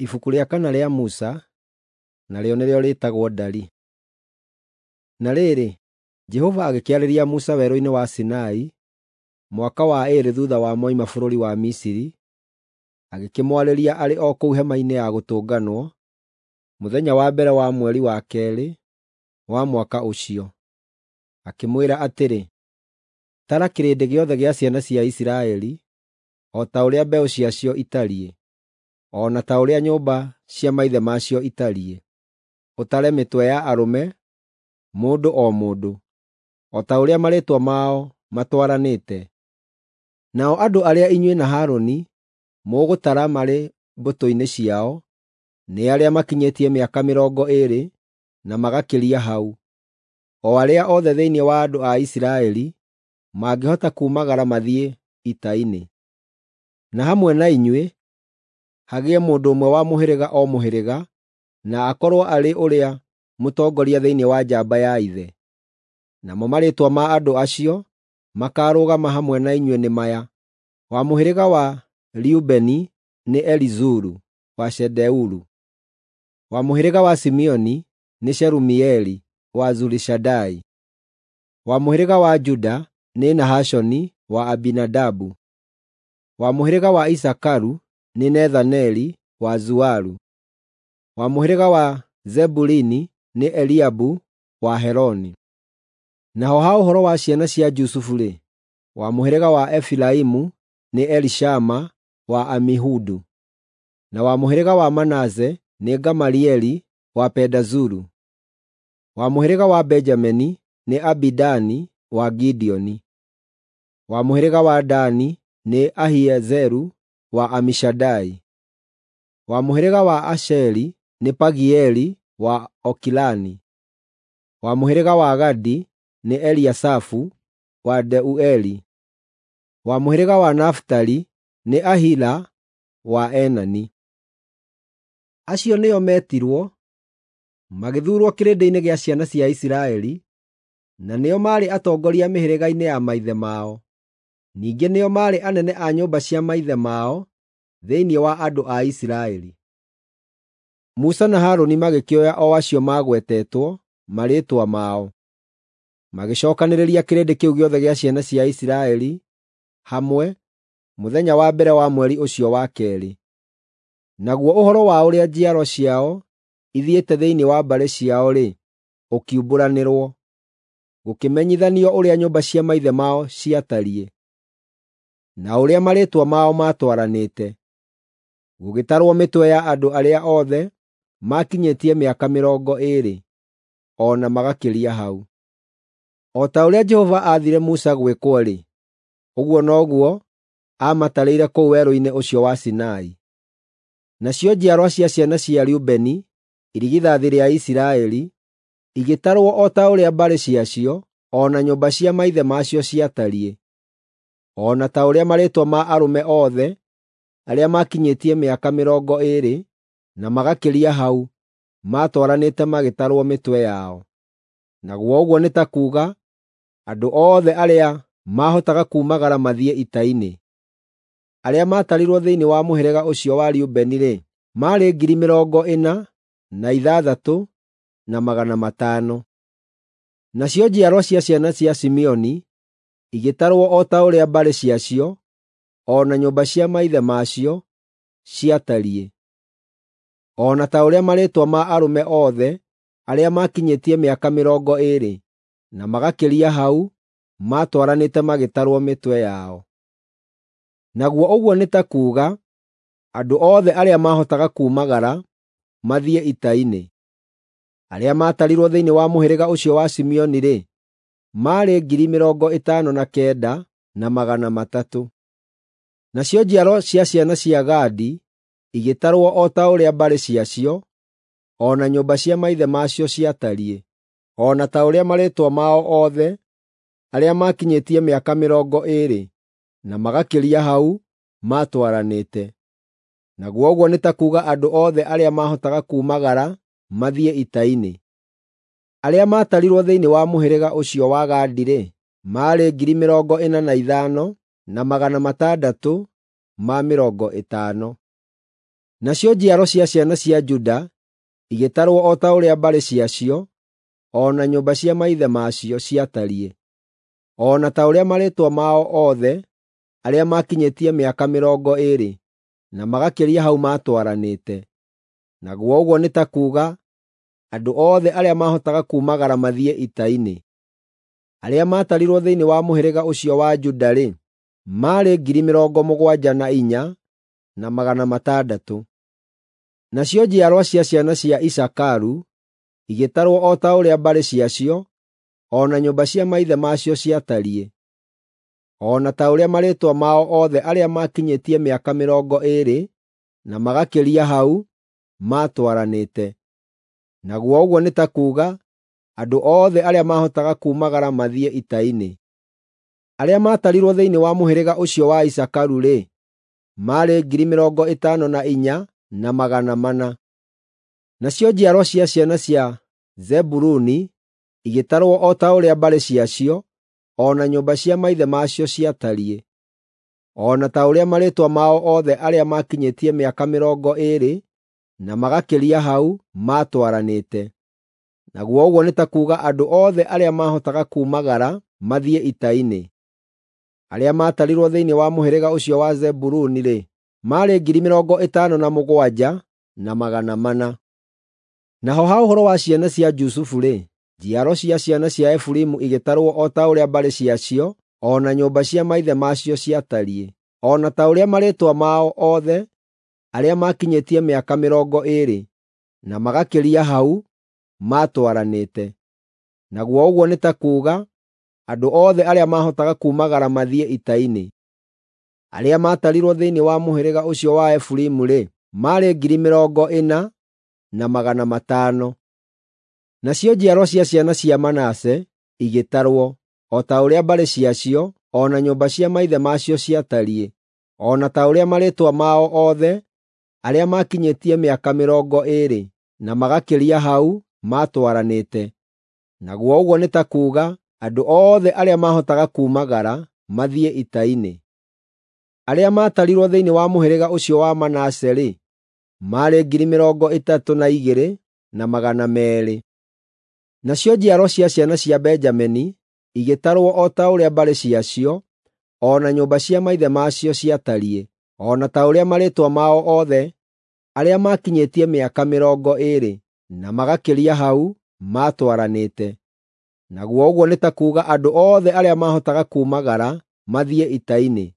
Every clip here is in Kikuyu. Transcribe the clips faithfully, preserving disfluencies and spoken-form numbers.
Ibuku rĩa kana rĩa Musa, narĩo nĩrĩo rĩĩtagwo Ndari. Na rĩrĩ, Jehova agĩkĩarĩria Musa werũ-inĩ wa Sinai, mwaka wa ĩĩrĩ thuutha wa moima bũrũri wa Misiri, agĩkĩmwarĩria arĩ o kũu Hema-inĩ ya Gũtũnganwo, mũthenya wa mbere wa mweri wa keerĩ wa mwaka ũcio. Akĩmwĩra atĩrĩ, “Tara kĩrĩndĩ gĩothe gĩa ciana cia Isiraeli, o ta ũrĩa mbeũ ciacio itariĩ, o na ta ũrĩa nyũmba cia maithe macio itariĩ. Ũtare mĩtwe ya arũme, mũndũ o mũndũ, o ta ũrĩa marĩĩtwa mao matwaranĩte. Nao andũ arĩa inyuĩ na Harũni mũgũtara marĩ mbũtũ-inĩ ciao nĩ arĩa makinyĩtie mĩaka mĩrongo ĩĩrĩ na magakĩria hau, o arĩa othe thĩinĩ wa andũ a Isiraeli mangĩhota kuumagara mathiĩ ita-inĩ. Na hamwe na inyuĩ hagĩe mũndũ ũmwe wa mũhĩrĩga o mũhĩrĩga, na akorwo arĩ ũrĩa mũtongoria thĩinĩ wa njamba ya ithe. Namo marĩĩtwa ma andũ acio makaarũgama hamwe na inyuĩ nĩ maya: wa mũhĩrĩga wa Rubeni nĩ Elizuru wa Shedeuru; wa mũhĩrĩga wa Simeoni nĩ Shelumieli wa Zurishadai; wa mũhĩrĩga wa Juda nĩ Nahashoni wa Aminadabu; wa mũhĩrĩga wa Isakaru nĩ Nethaneli wa Zuaru; wa mũhĩrĩga wa Zebuluni nĩ Eliabu wa Heloni. Naho ha ũhoro wa ciana cia Jusufu-rĩ, wa mũhĩrĩga wa Efiraimu nĩ Elishama wa Amihudu; na wa mũhĩrĩga wa Manase nĩ Gamalieli wa Pedazuru; wa mũhĩrĩga wa Benjamini nĩ Abidani wa Gideoni; wa mũhĩrĩga wa Dani nĩ Ahiezeru wa Amishadai; wa mũhĩrĩga wa Asheri nĩ Pagieli wa Okirani; wa mũhĩrĩga wa Gadi nĩ Eliasafu wa Deueli; wa mũhĩrĩga wa Nafitali nĩ Ahira wa Enani. Acio nĩo meetirwo, magĩthuurwo kĩrĩndĩ-inĩ gĩa ciana cia Isiraeli, na nĩo maarĩ atongoria mĩhĩrĩga-inĩ ya maithe mao. Ningĩ nĩo maarĩ anene a nyũmba cia maithe mao thĩinĩ wa andũ a Isiraeli. Musa na Harũni magĩkĩoya o acio maagwetetwo marĩĩtwa mao, magĩcookanĩrĩria kĩrĩndĩ kĩu gĩothe gĩa ciana cia Isiraeli hamwe mũthenya wa mbere wa mweri ũcio wa keerĩ. Naguo ũhoro wa ũrĩa njiaro ciao ithiĩte thĩinĩ wa mbarĩ ciao-rĩ, ũkiumbũranĩrwo, gũkĩmenyithanio ũrĩa nyũmba cia maithe mao ciatariĩ, na ũrĩa marĩĩtwa mao maatwaranĩte. Gũgĩtarwo mĩtwe ya andũ arĩa othe maakinyĩtie mĩaka mĩrongo ĩĩrĩ, o na magakĩria hau. O ta ũrĩa Jehova aathire Musa gwĩkwo-rĩ, ũguo noguo aamatarĩire kũu werũ-inĩ ũcio wa Sinai. Nacio njiarwa cia ciana cia Rubeni, irigithathi rĩa Isiraeli, igĩtarwo o ta ũrĩa mbarĩ ciacio o na nyũmba cia maithe macio ciatariĩ, o na ta ũrĩa marĩĩtwa ma arũme othe arĩa maakinyĩtie mĩaka mĩrongo ĩĩrĩ na magakĩria hau maatwaranĩte magĩtarwo mĩtwe yao. Naguo ũguo nĩ ta kuuga andũ othe arĩa maahotaga kuumagara mathiĩ ita-inĩ. Arĩa maatarirwo thĩinĩ wa mũhĩrĩga ũcio wa Rubeni-rĩ, maarĩ ngiri mĩrongo ĩna na ithathatũ na magana matano. Nacio njiarwa cia ciana cia Simeoni igĩtarwo o ta ũrĩa mbarĩ ciacio o na nyũmba cia maithe macio ciatariĩ, o na ta ũrĩa marĩĩtwa ma arũme othe arĩa maakinyĩtie mĩaka mĩrongo ĩĩrĩ na magakĩria hau maatwaranĩte magĩtarwo mĩtwe yao. Naguo ũguo nĩ ta kuuga andũ othe arĩa maahotaga kuumagara mathiĩ ita-inĩ. Arĩa maatarirwo thĩinĩ wa mũhĩrĩga ũcio wa Simeoni-rĩ, maarĩ ngiri mĩrongo ĩtano na kenda na magana matatũ. Nacio njiaro cia ciana cia Gadi igĩtarwo o ta ũrĩa mbarĩ ciacio o na nyũmba cia maithe macio ciatariĩ, o na ta ũrĩa marĩĩtwa mao othe arĩa maakinyĩtie mĩaka mĩrongo ĩĩrĩ na magakĩria hau maatwaranĩte. Naguo ũguo nĩ ta kuuga andũ othe arĩa maahotaga kuumagara mathiĩ ita-inĩ. Arĩa maatarirwo thĩinĩ wa mũhĩrĩga ũcio wa Gadi-rĩ, maarĩ ngiri mĩrongo ĩna na ithano na magana matandatũ ma mĩrongo ĩtano. Nacio njiaro cia ciana cia Juda igĩtarwo o ta ũrĩa mbarĩ ciacio, o na nyũmba cia maithe macio ciatariĩ, o na ta ũrĩa marĩĩtwa mao othe arĩa maakinyĩtie mĩaka mĩrongo ĩĩrĩ na magakĩria hau maatwaranĩte. Naguo ũguo nĩ ta kuuga andũ othe arĩa maahotaga kuumagara mathiĩ ita-inĩ. Arĩa maatarirwo thĩinĩ wa mũhĩrĩga ũcio wa Juda-rĩ, maarĩ ngiri mĩrongo mũgwanja na inya na magana matandatũ. Nacio njiarwa cia ciana cia Isakaru igĩtarwo o ta ũrĩa mbarĩ ciacio, o na nyũmba cia maithe macio ciatariĩ, o na ta ũrĩa marĩĩtwa mao othe arĩa maakinyĩtie mĩaka mĩrongo ĩĩrĩ na magakĩria hau maatwaranĩte. Naguo ũguo nĩ ta kuuga andũ othe arĩa maahotaga kuumagara mathiĩ ita-inĩ. Arĩa maatarirwo thĩinĩ wa mũhĩrĩga ũcio wa Isakaru-rĩ, maarĩ ngiri mĩrongo ĩtano na inya na magana mana. Nacio njiarwa cia ciana cia Zebuluni igĩtarwo o ta ũrĩa mbarĩ ciacio, o na nyũmba cia maithe macio ciatariĩ, o na ta ũrĩa marĩĩtwa mao othe arĩa maakinyĩtie mĩaka mĩrongo ĩĩrĩ na magakĩria hau maatwaranĩte. Naguo ũguo nĩ ta kuuga andũ othe arĩa maahotaga kuumagara mathiĩ ita-inĩ. Arĩa maatarirwo thĩinĩ wa mũhĩrĩga ũcio wa Zebuluni-rĩ, maarĩ ngiri mĩrongo ĩtano na mũgwanja na magana mana. Naho ha ũhoro wa ciana cia Jusufu-rĩ, njiaro cia ciana cia Efiraimu igĩtarwo o ta ũrĩa mbarĩ ciacio, o na nyũmba cia maithe macio ciatariĩ, o na ta ũrĩa marĩĩtwa mao othe arĩa maakinyĩtie mĩaka mĩrongo ĩĩrĩ na magakĩria hau maatwaranĩte. Naguo ũguo nĩ ta kuuga andũ othe arĩa maahotaga kuumagara mathiĩ ita-inĩ. Arĩa maatarirwo thĩinĩ wa mũhĩrĩga ũcio wa Efiraimu-rĩ, maarĩ ngiri mĩrongo ĩna na magana matano. Nacio njiarwa cia ciana cia Manase igĩtarwo o ta ũrĩa mbarĩ ciacio, o na nyũmba cia maithe macio ciatariĩ, o na ta ũrĩa marĩĩtwa mao othe arĩa maakinyĩtie mĩaka mĩrongo ĩĩrĩ na magakĩria hau maatwaranĩte. Naguo ũguo nĩ ta kuuga andũ othe arĩa maahotaga kuumagara mathiĩ ita-inĩ. Arĩa maatarirwo thĩinĩ wa mũhĩrĩga ũcio wa Manase-rĩ, maarĩ ngiri mĩrongo ĩtatũ na igĩrĩ na magana meerĩ. Nacio njiaro cia ciana cia Benjamini igĩtarwo o ta ũrĩa mbarĩ ciacio, o na nyũmba cia maithe macio ciatariĩ, o na ta ũrĩa marĩĩtwa mao othe arĩa maakinyĩtie mĩaka mĩrongo ĩĩrĩ na magakĩria hau maatwaranĩte. Naguo ũguo nĩ ta kuuga andũ othe arĩa maahotaga kuumagara mathiĩ ita-inĩ.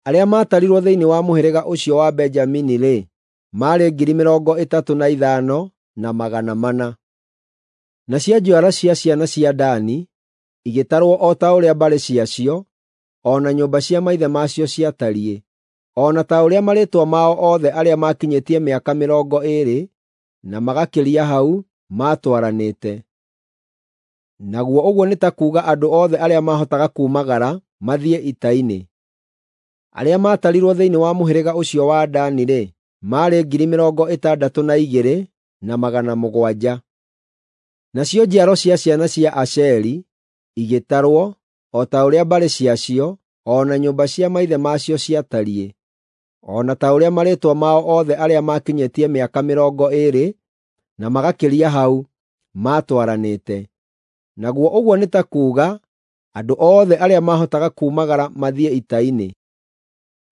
Arĩa maatarirwo thĩinĩ wa mũhĩrĩga ũcio wa Benjamini-rĩ, maarĩ ngiri mĩrongo ĩtatũ na ithano na magana mana. Nacio njiaro cia ciana cia Dani igĩtarwo o ta ũrĩa mbarĩ ciacio, o na nyũmba cia maithe macio ciatariĩ, o na ta ũrĩa marĩĩtwa mao othe arĩa maakinyĩtie mĩaka mĩrongo ĩĩrĩ na magakĩria hau maatwaranĩte. Naguo ũguo nĩ ta kuuga andũ othe arĩa maahotaga kuumagara mathiĩ ita-inĩ. Arĩa maatarirwo thĩinĩ wa mũhĩrĩga ũcio wa Dani-rĩ, maarĩ ngiri mĩrongo ĩtandatũ na igĩrĩ na magana mũgwanja. Nacio njiaro cia ciana cia Asheri igĩtarwo o ta ũrĩa mbarĩ ciacio, o na nyũmba cia maithe macio ciatariĩ, o na ta ũrĩa marĩĩtwa mao othe arĩa maakinyĩtie mĩaka mĩrongo ĩĩrĩ na magakĩria hau maatwaranĩte. Naguo ũguo nĩ ta kuuga andũ othe arĩa maahotaga kuumagara mathiĩ ita-inĩ.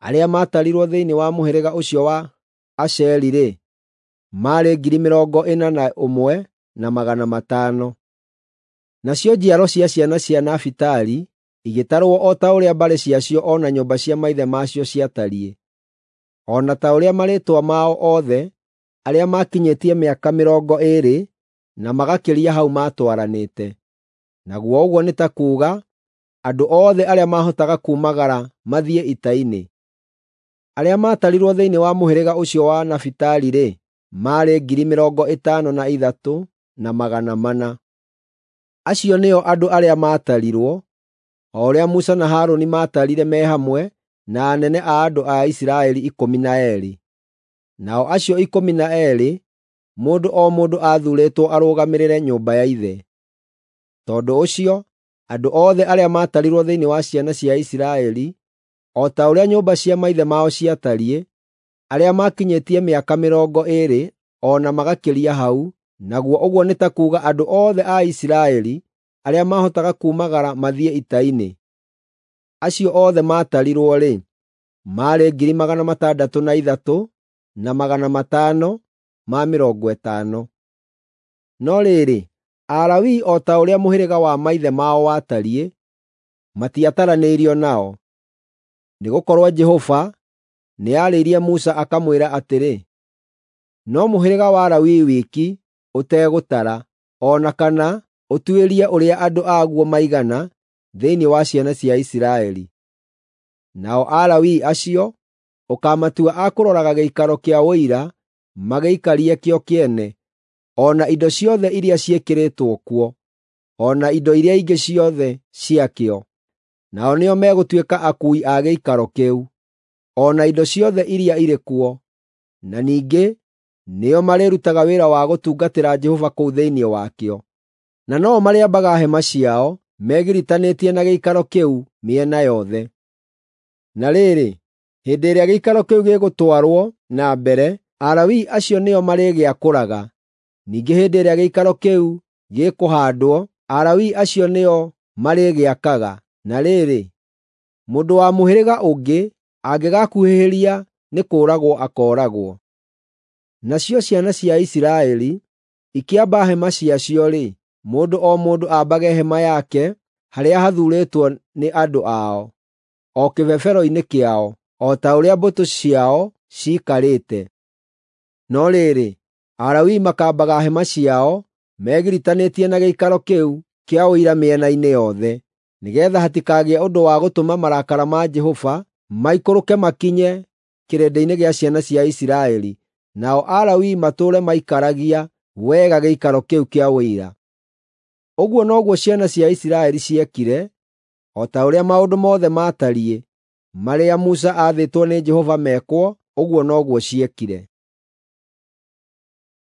Arĩa maatarirwo thĩinĩ wa mũhĩrĩga ũcio wa Asheri-rĩ, maarĩ ngiri mĩrongo ĩna na ũmwe na magana matano. Nacio njiaro cia ciana cia Nafitali igĩtarwo o ta ũrĩa mbarĩ ciacio o na nyũmba cia maithe macio ciatariĩ, o na ta ũrĩa marĩĩtwa mao othe arĩa maakinyĩtie mĩaka mĩrongo ĩĩrĩ na magakĩria hau maatwaranĩte. Naguo ũguo nĩ ta kuuga andũ othe arĩa maahotaga kuumagara mathiĩ ita-inĩ. Arĩa maatarirwo thĩinĩ wa mũhĩrĩga ũcio wa Nafitali-rĩ, maarĩ ngiri mĩrongo ĩtano na ithatũ na magana mana. Acio nĩo andũ arĩa maatarirwo, o ũrĩa Musa na Harũni maatarire me hamwe na anene a andũ a Isiraeli ikũmi na eerĩ. Nao acio ikũmi na eerĩ, mũndũ o mũndũ aathuurĩtwo arũgamĩrĩre nyũmba ya ithe. Tondũ ũcio, andũ othe arĩa maatarirwo thĩinĩ wa ciana cia Isiraeli, o ta ũrĩa nyũmba cia maithe mao ciatariĩ, arĩa maakinyĩtie mĩaka mĩrongo ĩĩrĩ o na magakĩria hau, naguo ũguo nĩ ta kuuga andũ othe a Isiraeli arĩa maahotaga kuumagara mathiĩ ita-inĩ, acio othe maatarirwo-rĩ, maarĩ ngiri magana matandatũ na ithatũ na magana matano ma mĩrongo ĩtano. No rĩrĩ, Alawii o ta ũrĩa mũhĩrĩga wa maithe mao watariĩ, matiataranĩirio nao. Nĩgũkorwo Jehova nĩarĩirie Musa akamwĩra atĩrĩ, “No mũhĩrĩga wa Lawi wiki ũtegũtara, o na kana ũtuĩrie ũrĩa andũ aguo maigana thĩinĩ wa ciana cia Isiraeli. Nao Alawii acio ũkaamatua a kũroraga gĩikaro kĩa Ũira magĩikarie kĩo kĩene, o na indo ciothe iria ciĩkĩrĩtwo kuo, o na indo iria ingĩ ciothe ciakĩo. Nao nĩo megũtuĩka akuui a gĩikaro kĩu, o na indo ciothe iria irĩ kuo, na ningĩ nĩo marĩrutaga wĩra wa gũtungatĩra Jehova kũu thĩinĩ wakĩo. Na no-o marĩambaga hema ciao megiritanĩtie na gĩikaro kĩu mĩena yothe. Na rĩrĩ, hĩndĩ ĩrĩa gĩikaro kĩu gĩgũtwarwo na mbere, Alawii acio nĩo marĩgĩakũraga. Ningĩ hĩndĩ ĩrĩa gĩikaro kĩu gĩkũhaandwo, Alawii acio nĩo marĩgĩakaga. Na rĩrĩ, mũndũ wa mũhĩrĩga ũngĩ angĩgakuhĩhĩria nĩ kũũragwo akooragwo. Nacio ciana cia Isiraeli ikĩamba hema ciacio-rĩ, mũndũ o mũndũ aambage hema yake harĩa hathuurĩtwo nĩ andũ ao, o kĩbebero-inĩ kĩao, o ta ũrĩa mbũtũ ciao ciikarĩte. No rĩrĩ, Alawii makaambaga hema ciao megiritanĩtie na gĩikaro kĩu kĩa Ũira mĩena-inĩ yothe, nĩgeetha hatikagĩe ũndũ wa gũtũma marakara ma Jehova maikũrũke makinye kĩrĩndĩ-inĩ gĩa ciana cia Isiraeli, nao Alawii matũũre maikaragia wega gĩikaro kĩu kĩa Ũira. Ũguo noguo ciana cia Isiraeli ciekire, o ta ũrĩa maũndũ mothe maatariĩ marĩa Musa aathĩtwo nĩ Jehova mekwo, ũguo noguo ciekire.